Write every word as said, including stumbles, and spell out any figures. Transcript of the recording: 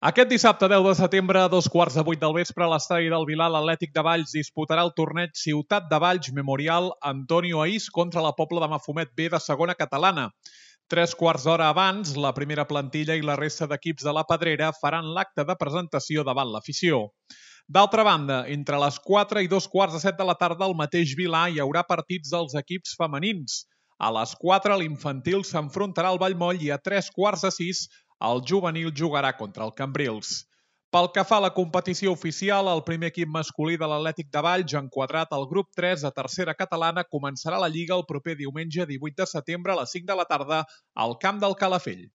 Aquest dissabte deu de setembre, a dos quarts de vuit del vespre, a l'estadi del Vilar, l'Atlètic de Valls disputarà el torneig Ciutat de Valls Memorial Antonio Aís contra la Pobla de Mafumet B de segona catalana. Tres quarts d'hora abans, la primera plantilla i la resta d'equips de la Pedrera faran l'acte de presentació davant l'afició. D'altra banda, entre les quatre i dos quarts de set de la tarda al mateix Vilar hi haurà partits dels equips femenins. A les quatre l'infantil s'enfrontarà al Vallmoll i a tres quarts de sis el juvenil jugarà contra el Cambrils. Pel que fa a la competició oficial, el primer equip masculí de l'Atlètic de Valls, enquadrat al grup tres de tercera catalana, començarà la Lliga el proper diumenge divuit de setembre a les cinc de la tarda al camp del Calafell.